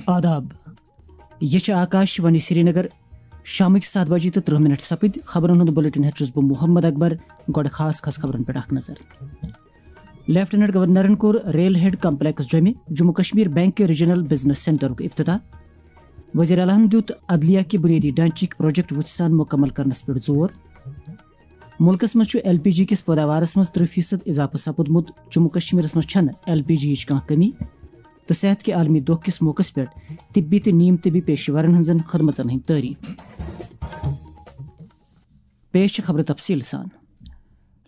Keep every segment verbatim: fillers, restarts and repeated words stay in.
آداب۔ یہ چھِ آکاش وانی سرینگر۔ شامٕکۍ ستھ بجے تہٕ ترٕٛہ منٹ سپٕدۍ۔ خبرن ہُنٛد بلیٹن ہٮ۪تھ چھُس بہٕ محمد اکبر۔ گۄڈٕ خاص خاص خبرن پٮ۪ٹھ اکھ نظر۔ لیفٹیننٹ گورنرن کوٚر ریل ہیڈ کمپلیکس جوٚمہِ جموں کشمیر بینک کہِ ریجنل بزنس سینٹرُک افتتاح۔ وزیر اعلیٰ ہن دیُت عدلیہ کہِ بنیٲدی ڈھانچٕکۍ پروجیکٹ وُژھِ سان مکمل کرنس پٮ۪ٹھ زور۔ مُلکس منٛز چھُ ایل پی جی کِس پٲداوارس منٛز ترٕٛہ فیصد اضافہٕ سپُدمُت۔ جموں کشمیرس منٛز چھنہٕ ایل پی جی یِچ کانٛہہ کمی۔ تہٕ صحت کہِ عالمی دۄہ کِس موقعس پٮ۪ٹھ طبی تہٕ نیم طبی پیشہٕ ورن ہٕنٛزن خدمژن ہٕنٛدۍ تعریف۔ پیش چھِ خبرٕ تفصیٖل سان۔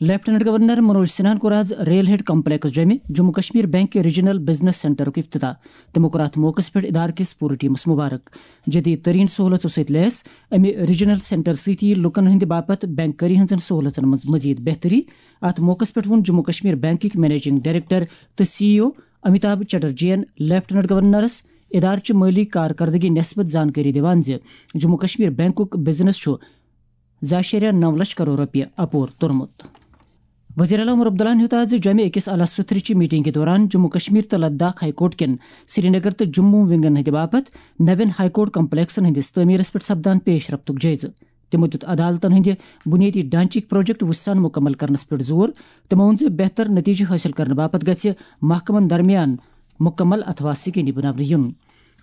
لیفٹیننٹ گورنر منوج سنہاہن کوٚر آز ریل ہیڈ کمپلیکس جوٚمہِ جموں کشمیر بینک کہِ ریجنل بزنس سینٹرُک افتتاح۔ تِمو کوٚر اتھ موقعس پٮ۪ٹھ ادارٕ کِس پوٗرٕ ٹیمس مبارک۔ جدید ترین سہولژو سۭتۍ لیس امہِ ریجنل سینٹر سۭتۍ یِیہِ لوٗکن ہٕنٛدِ باپتھ بینک کٲری ہٕنٛزن سہولژن منٛز مزید بہتری۔ اتھ موقعس پٮ۪ٹھ ووٚن جموں کشمیر بینکٕکۍ منیجنگ ڈائریکٹر تہٕ سی ای او امیتابھ چٹرجی ین لیفٹیننٹ گورنرس ادارٕچہِ مٲلی کارکردگی نسبت زانکٲری دِوان زِ جموں کشمیر بینکُک بزنس چھُ زٕ اَشاریہ نَو لچھ کرور رۄپیہِ اپور توٚرمُت۔ وزیر اعلیٰ عمر عبداللہن ہیوٚت آز جوٚمہِ أکِس اعلیٰ سطحٕچہِ میٹنگہِ دوران جموں کشمیر تہٕ لداخ ہائی کورٹ کٮ۪ن سرینگر تہٕ جموں ونگن ہٕنٛدِ باپتھ نوٮ۪ن ہائی کورٹ کمپلیکسن ہٕنٛدِس تعمیرس پٮ۪ٹھ سپدان پیش رفتُک جٲیزٕ۔ تِمو دیُت عدالتن ہٕنٛدِ بُنیٲدی ڈھانچٕکۍ پروجیکٹ وُژھِ سان مُکمل کرنس پٮ۪ٹھ زور۔ تِمو ووٚن زِ بہتر نتیجہٕ حٲصِل کرنہٕ باپتھ گژھِ محکمن درمیان مُکمل اتھواس یقینی بناونہٕ یُن۔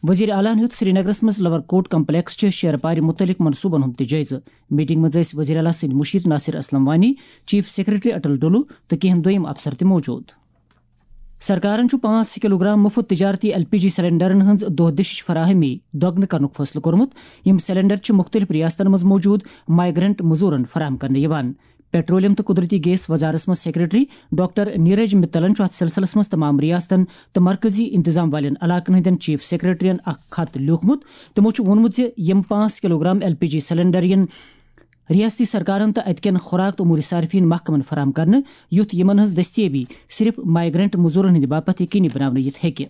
وزیر اعلیٰ ہن ہیوٚت سرینگرس منٛز لور کورٹ کمپلیکس چہِ شیرٕ پارِ مُتعلق منصوبن ہُنٛد تہِ جٲیزٕ۔ میٹنگ منٛز ٲسۍ وزیر اعلیٰ سٕنٛدۍ مُشیر ناصر اسلم وانی، چیف سیکرٹری اٹل ڈولو تہٕ کینٛہہ دوٚیم افسر تہِ موجود۔ سرکارن چھُ پانٛژھ کلوگرام مُفت تجارتی ایل پی جی سلنڈرن ہٕنٛز دۄہ دِشِچ فراہمی دۄگنہٕ کرنُک فٲصلہٕ کوٚرمُت۔ یِم سلنڈر چھِ مُختٔلِف ریاستن منٛز موجود مائیگرنٹ مزورن فراہم کرنہٕ یِوان۔ پیٹرولیم تہٕ قدرتی گیس وزارتس منٛز سیکرٹری ڈاکٹر نیرج متلن چھُ اتھ سلسلس منٛز تمام ریاستن تہٕ مرکزی انتظام والٮ۪ن علاقن ہٕنٛدٮ۪ن چیف سیکرٹرین اکھ خط لیوٗکھمُت۔ تِمو چھُ ووٚنمُت زِ یِم پانٛژھ kilogram L P G cylinder یِن ریاستی سرکارن تہٕ اتہِ کٮ۪ن خوراک تہٕ امور صارفین محکمن فراہم کرنہٕ، یُتھ یِمن ہٕنٛز دٔستیٲبی صرف مائیگرنٹ مزورن ہٕنٛدِ باپتھ یقینی بناونہٕ یِتھ ہیٚکہِ۔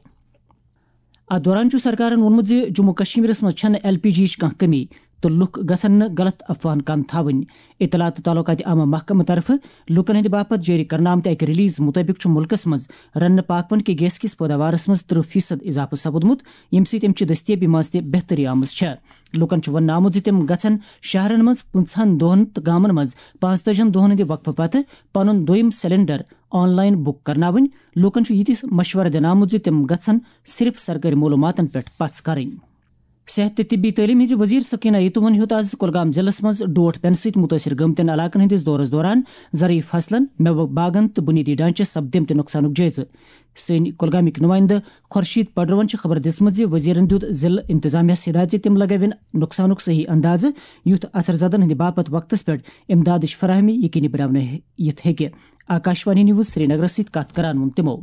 اتھ دوران چھُ سرکارن ووٚنمُت زِ جموں کشمیرس منٛز چھنہٕ ایل پی جی یِچ کانٛہہ کمی تہٕ لُکھ گژھن نہٕ غلط افواہن کن تھاوٕنۍ۔ اطلاعات تہٕ تعلقات عامہ محکمہٕ طرفہٕ لوٗکن ہٕنٛدِ باپتھ جٲری کرنہٕ آمتہِ اکہِ ریلیز مُطٲبِق چھُ مُلکس منٛز رننہٕ پاکوان کہِ گیس کِس پٲداوارس منٛز ترٕٛہ فیصد اضافہٕ سپُدمُت، ییٚمہِ سۭتۍ امہِ چہِ دٔستیٲبی منٛز تہِ بہتری آمٕژ چھےٚ۔ لوٗکن چھُ وننہٕ آمُت زِ تِم گژھن شہرن منٛز پٕنٛژٕہن دۄہن تہٕ گامن منٛز پانٛژتٲجِہن دۄہن ہٕنٛدِ وقفہٕ پتہٕ پنُن دوٚیِم سلنڈر آن لائن بُک کرناوٕنۍ۔ لوٗکن چھُ یہِ تہِ مشورٕ دِنہٕ آمُت زِ تِم گژھن صرف سرکٲرۍ معلوٗماتن پٮ۪ٹھ پژھ کرٕنۍ۔ صحت تہٕ طبی تعلیٖم ہٕنٛزِ وزیر سکینہ یتوٗہن ہیوٚت آز کۄلگام ضلعس منٛز ڈوٹھ پٮ۪نہٕ سۭتۍ مُتٲثر گٔمتٮ۪ن علاقن ہٕنٛدِس دورس دوران زرعی فصلن، مٮ۪وٕ باغن تہٕ بُنیٲدی ڈھانچس سپدیمتہِ نۄقصانُک جٲیزٕ۔ سٲنۍ کۄلگامٕکۍ نُمٲیندٕ خورشید پڈروَن چھِ خبر دِژمٕژ زِ وزیرن دیُت ضلعہٕ انتظامیہس ہدایت زِ تِم لگٲوِن نۄقصانُک صحیح اندازٕ، یُتھ اثر زدن ہٕنٛدِ باپتھ وقتس پٮ۪ٹھ امدادٕچ فراہمی یقینی بناونہٕ یِتھ ہیٚکہِ۔ آکاشوانی نیوز سرینگرس سۭتۍ کتھ کران ووٚن تِمو۔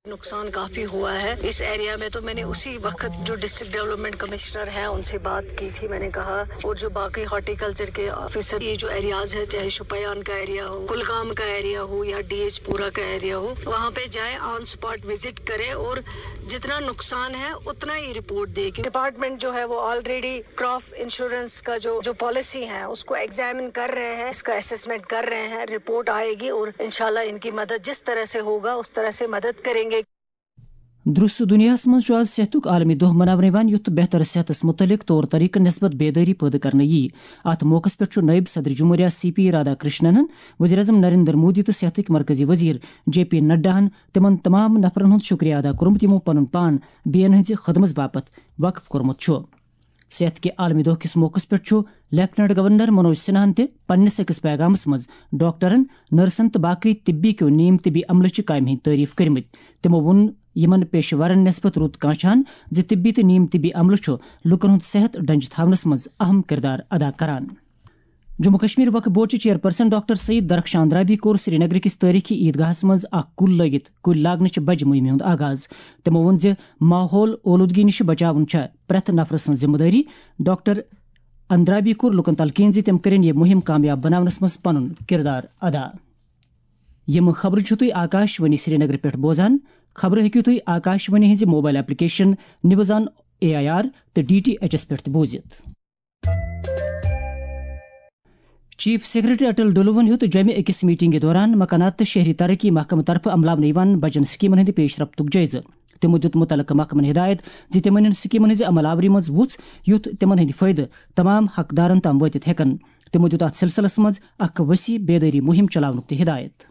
نقصان کافی ہوا ہے اس ایریا میں، تو میں نے اسی وقت جو ڈسٹرکٹ ڈیولپمنٹ کمشنر ہیں، ان سے بات کی تھی۔ میں نے کہا، اور جو باقی ہارٹیکلچر کے آفیسر، یہ جو ایریاز ہے، چاہے شپیان کا ایریا ہو، کلگام کا ایریا ہو یا ڈی ایچ پورا کا ایریا ہو، وہاں پہ جائیں، آن اسپاٹ وزٹ کریں اور جتنا نقصان ہے اتنا ہی رپورٹ دے، کیونکہ ڈپارٹمنٹ جو ہے وہ آلریڈی کراپ انشورنس کا جو جو پالیسی ہے اس کو ایگزامن کر رہے ہیں، اس کا اسسمنٹ کر رہے ہیں، رپورٹ آئے گی اور انشاءاللہ ان کی مدد جس طرح سے ہوگا اس طرح سے مدد کریں گے۔ درست دنیاہس منٛز چھُ آز صحتُک عالمی دۄہ مناونہٕ یِوان، یُتھ بہتر صحتس مُتعلق طور طریقہٕ نسبت بیدٲری پٲدٕ کرنہٕ یِیہِ۔ اتھ موقعس پٮ۪ٹھ چھُ نٲیِب صدر جمہوریہ سی پی رادھا کرشننن، وزیر اعظم نریندر مودی تہٕ صحتٕکۍ مرکزی وزیر جے پی نڈاہن تِمن تمام نفرن ہُنٛد شُکریہ ادا کوٚرمُت، یِمو پنُن پان بیٚین ہٕنٛزِ خدمژ باپتھ وقف کوٚرمُت چھُ۔ صحت کہِ عالمی دۄہ کِس موقعس پٮ۪ٹھ چھُ لیفٹیننٹ گورنر منوج سنہاہن تہِ پننِس أکِس پیغامس منٛز ڈاکٹرن، نرسن تہٕ باقٕے طبی کیو نیم طبی عملہٕ چہِ کامہِ ہٕنٛدۍ تعریف کٔرمٕتۍ۔ تِمو ووٚن یِمن پیشہٕ ورن نسبت رُت کانٛہہ چھان زِ طبی تہٕ نیم طبی عملہٕ چھُ لوٗکن ہُنٛد صحت ڈنجہِ تھاونس منٛز اہم کردار ادا کران۔ جموں کشمیر وقف بورڈ چہِ چیئرپرسن ڈاکٹر سعید درخشان اندرابی کوٚر سرینگر کِس تٲریخی عیدگاہس منٛز اکھ کُل لٲگِتھ کُلۍ لاگنٕچہِ بجہِ مُہِمہِ ہُنٛد آغاز۔ تِمو ووٚن زِ ماحول اولودگی نِش بچاوُن چھےٚ پرٛٮ۪تھ نفرٕ سٕنٛز ذمہٕ دٲری۔ ڈاکٹر اندرابی کوٚر لوٗکن تلقین زِ تِم کٔرِن یہِ مُہِم کامیاب بناونس منٛز پنُن کردار ادا۔ یِم خبرٕ چھِو تُہۍ آکاش وانی سرینگر پٮ۪ٹھ بوزان۔ خبرٕ ہیٚکِو تُہۍ آکاش وانی ہٕنٛزِ mobile application news on A I R تہٕ ڈی ٹی ایچ ایس پٮ۪ٹھ تہِ بوٗزِتھ۔ چیف سیکرٹری اٹل ڈلوَن ہیوٚت جوٚمہِ أکِس میٹنگہِ دوران مکانات تہٕ شہری ترقی محکمہٕ طرفہٕ عملاونہٕ یِوان بجن سکیمن ہٕنٛدِ پیش رفتُک جٲیزٕ۔ تِمو دیُت مُتعلقہٕ محکمن ہدایت زِ تِمن یِن سکیمن ہٕنٛزِ عمل آوری منٛز وُژھ، یُتھ تِمن ہٕنٛدۍ فٲیدٕ تمام حقدارن تام وٲتِتھ ہٮ۪کن۔ تِمو دیُت اتھ سلسلس منٛز اکھ وسیع بیدٲری مہم چلاونُک تہِ ہدایت۔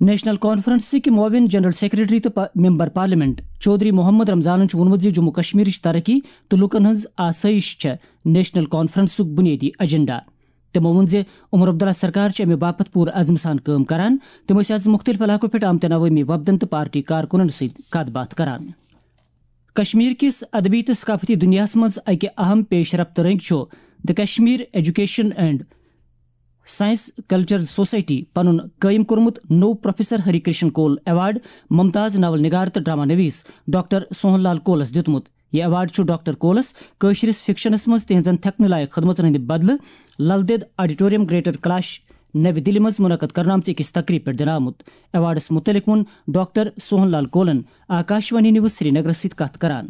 نیشنل کانفرنسٕکۍ معاون جنرل سیکرٹری تہٕ پا-، ممبر پارلیمنٹ چودھری محمد رمضانن چھُ ووٚنمُت زِ جموں کشمیرٕچ ترقی تہٕ لوٗکن ہٕنٛز آسٲیِش چھےٚ نیشنل کانفرنسُک بُنیٲدی ایجنڈا۔ تِمو ووٚن زِ عمر عبداللہ سرکار چھِ اَمہِ باپتھ پوٗرٕ عزمہٕ سان کٲم کران۔ تِمو ٲسۍ آز مُختٔلِف علاقو پٮ۪ٹھ آمتٮ۪ن عوٲمی وفدن تہٕ پارٹی کارکُنن سۭتۍ کتھ باتھ کران۔ کشمیر کِس ادبی تہٕ ثقافتی دُنیاہَس منٛز اَکہِ اہم پیش رفت رٔنٛگۍ چھُ The Kashmir Education and Science Culture Society پنُن قٲیِم کوٚرمُت نوٚو پروفیسر ہری کرشن کول ایوارڈ ممتاز ناول نگار تہٕ ڈرامہ نویس ڈاکٹر سوہن لال کولس دیُتمُت۔ یہِ ایوارڈ چھُ ڈاکٹر کولس کٲشرِس فکشنس منٛز تِہنٛزن تھٮ۪کنہٕ لایق خدمژن ہٕنٛدِ بدلہٕ لل دید آڈیٹوریم گریٹر کلاش نَوِ دِلہِ منٛز منعقد کرنہٕ آمژِ أکِس تقریٖب پٮ۪ٹھ دِنہٕ آمُت۔ ایوارڈس مُتعلق ووٚن ڈاکٹر سوہن لال کولن آکاشوانی نیوز سرینگرس سۭتۍ کتھ کران۔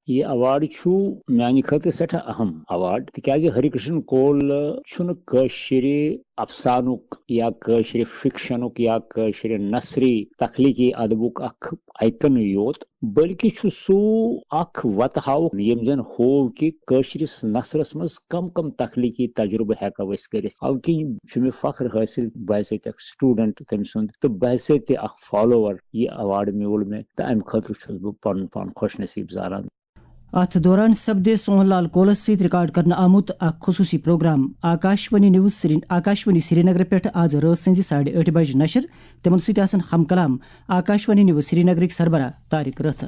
یہِ ایوارڈ چھُ میانہِ خٲطرٕ سٮ۪ٹھاہ اہم ایوارڈ، تِکیازِ ہری کرشن کول چھُنہٕ کٲشرِ افسانُک یا کٲشرِ فکشنُک یا کٲشرِ نثری تخلیقی ادبُک اکھ آیکن یوت، بلکہِ چھُ سُہ اکھ وتہٕ ہاوُک، ییٚمۍ زن ہوو کہِ کٲشرِس نثرس منٛز کم کم تخلیقی تجربہٕ ہٮ۪کو أسۍ کٔرِتھ۔ اَوٕ کِنۍ چھُ مےٚ فخر حٲصِل بحیثیت اکھ سٹوڈنٹ تٔمۍ سُنٛد تہٕ بحیثیت اکھ فالوور۔ یہِ ایوارڈ میوٗل مےٚ تہٕ امہِ خٲطرٕ چھُس بہٕ پنُن پان خۄش نصیب زانان۔ اتھ دوران سپدِ سوہن لال کولس سۭتۍ ریکارڈ کرنہٕ آمُت اکھ خصوٗصی پروگرام آکاشوانی نیوز سری-، آکاشوانی سرینگر پٮ۪ٹھ آز رٲژ سٕنزِ ساڑِ ٲٹھِ بجہِ نشر۔ تِمن سۭتۍ آسن ہم کلام آکاشوانی نیوز سرینگرٕکۍ سربراہ طارق رٲتھر۔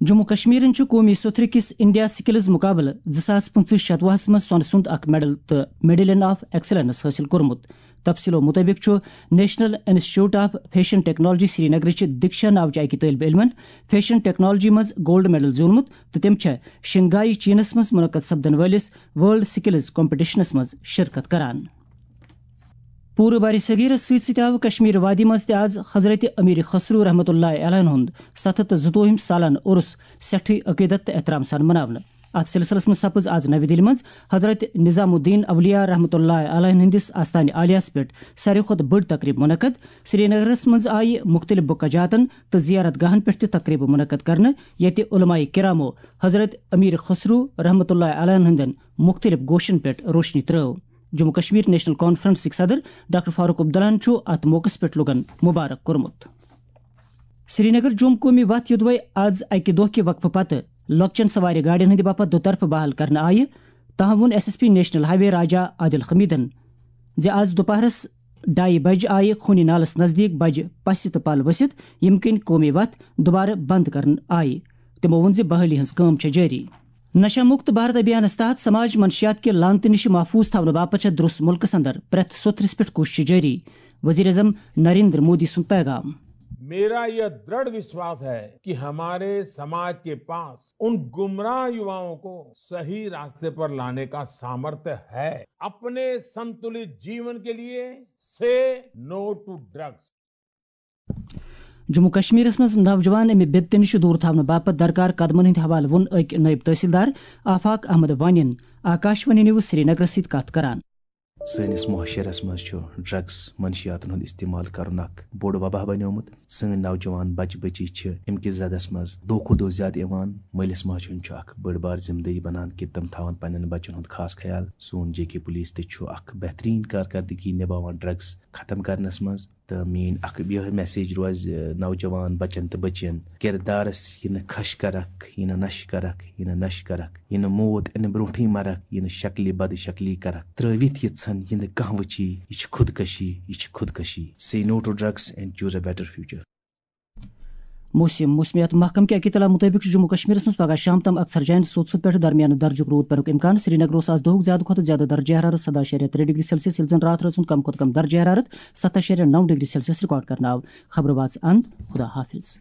جموں کشمیرن چھُ قومی سوٚتھرِ کِس انڈیا سکلز مقابلہٕ زٕ ساس پٕنٛژٕہ شتوُہس منٛز سۄنہٕ سُنٛد اکھ میڈل تہٕ میڈلین آف ایکسلنس حٲصِل کوٚرمُت۔ تفصیلو مُطٲبِق چھُ national institute of fashion technology سرینگرٕچ دیکشا ناوچہِ اکہِ طٲلبہِ علمن فیشن ٹیکنالوجی منٛز گولڈ میڈل زیوٗنمُت تہٕ تٔمۍ چھےٚ شنگھائی چینس منٛز منعقد سپدن وٲلِس ورلڈ سکلز کمپٹیشنس منٛز شرکت کران۔ پوٗرٕ برِ صغیرس سۭتۍ سۭتۍ آو کشمیر وادی منٛز تہِ آز حضرت امیر خسرو رحمتہ اللہ علیہ ہُنٛد ستھ ہتھ تہٕ زٕتووُہِم سالانہٕ عرس سٮ۪ٹھٕے عقیدت تہٕ احترام سان مناونہٕ۔ اتھ سلسلس منٛز سپٕز آز نَوِ دِلہِ منٛز حضرت نظام الدین اولیاء رحمتہ اللہ علیہ ہٕنٛدِس آستانہِ عالیہس پٮ۪ٹھ ساروی کھۄتہٕ بٔڑ تقریب منعقد۔ سرینگرس منٛز آیہِ مُختٔلِف بُکہ جاتن تہٕ زیارت گاہن پٮ۪ٹھ تہِ تقریبہٕ منعقد کرنہٕ، ییٚتہِ علماء کرامو حضرت امیر خسرو رحمتہ اللہ علیہ ہٕنٛدٮ۪ن مُختٔلِف گوشن پٮ۪ٹھ روشنی ترٲو۔ جموں کشمیر نیشنل کانفرنسٕکۍ صدر ڈاکٹر فاروق عبداللہن چھُ اتھ موقعس پٮ۪ٹھ لوٗکن مبارک کوٚرمُت۔ سرینگر جوم قومی وتھ یوٚدوے آز اکہِ دۄہ کہِ وقفہٕ پتہٕ لۄکچٮ۪ن سوارِ گاڑٮ۪ن ہٕنٛدِ باپتھ دُطرفہٕ بحال کرنہٕ آیہِ، تاہم ووٚن S S P national highway Raja Adil حمیدن زِ آز دُپہرس ڈایہِ بجہِ آیہِ خوٗنی نالس نزدیٖک بجہِ پسہِ تہٕ پل ؤسِتھ، ییٚمہِ کِنۍ قومی وتھ دُبارٕ بند کرنہٕ آیہِ۔ تِمو ووٚن زِ بحالی ہٕنٛز کٲم چھےٚ جٲری۔ نشہ مکت بھارت ابھیانس تحت سماج منشیات کہِ لعنتہٕ نِش محفوظ تھاونہٕ باپتھ چھےٚ درٛوس مُلکس اندر پرٛٮ۪تھ سوٚتھرِس پٮ۪ٹھ کوٗششہِ جٲری۔ وزیر اعظم نریندر مودی سُنٛد پیغام۔ میرا یہ دڑھ وشواس ہے کہ ہمارے سماج کے پاس ان گمراہ یواؤں کو صحیح راستے پر لانے کا سامرتھ ہے۔ اپنے سنتلت جیون کے لیے سے نو ٹو ڈرگس۔ جموں کشمیرس منٛز نوجوان امہِ بدتہٕ نِش دوٗر تھاونہٕ باپتھ درکار قدمن ہٕنٛدِ حوالہٕ ووٚن أکۍ نٲیِب تحصیلدار آفاق احمد وانین آکاشوانی نیوز سرینگرس سۭتۍ کتھ کران۔ سٲنِس معاشرس منٛز چھُ ڈرگس منشیاتن ہُنٛد استعمال کرُن اکھ بوٚڑ وبا بنیومُت۔ سٲنۍ نوجوان بچہٕ بچی چھِ امہِ کِس زدس منٛز دۄہ کھۄتہٕ دۄہ زیادٕ یِوان۔ مٲلِس ماجہِ ہُنٛد چھُ اکھ بٔڑ بار ذمہٕ دٲری بنان کہِ تِم تھاون پننٮ۪ن بچن ہُنٛد خاص خیال۔ سون جے کے پولیس تہِ چھُ اکھ بہترین کارکردگی نباوان ڈرگس ختم کرنس منٛز۔ تہٕ میٲنۍ اکھ یِہے میسیج روزِ، نوجوان بچن تہٕ بچین کردارس، یہِ نہٕ خش کرکھ، یہِ نہٕ نشہٕ کرکھ، یہِ نہٕ نشہٕ کرکھ، یہِ نہٕ موت انہٕ برونٹھٕے مرکھ، یہِ نہٕ شکلہِ بد شکلی کرکھ۔ ترٲوِتھ یہِ ژھن، یہِ نہٕ کانٛہہ وٕچھی، یہِ چھِ خودکشی، یہِ چھِ خودکشی۔ Say no to drugs and choose a better future۔ موسم۔ موسمیات محکمہٕ کہِ اطلاع مُطٲبِق چھُ جموں کشمیرس منٛز پگہہ شام تام اکثر جاین سوٚت سوٚت پٮ۪ٹھ درمیانہٕ درجُک روٗد پینُک امکان۔ سرینگرس آز دۄہُک زیادٕ کھۄتہٕ زیادٕ درجہ حرارت سداہ اَشاریہ ترٛےٚ ڈگری سیلسیس، ییٚلہِ زن راتھ رٲژ ہُنٛد کم کھۄتہٕ کم درجہ حرارت ستھ اَشاریہ نَو ڈگری سیلسیس ریکارڈ کرنہٕ آو۔ خبرٕ واژٕ اند۔ خدا حافظ۔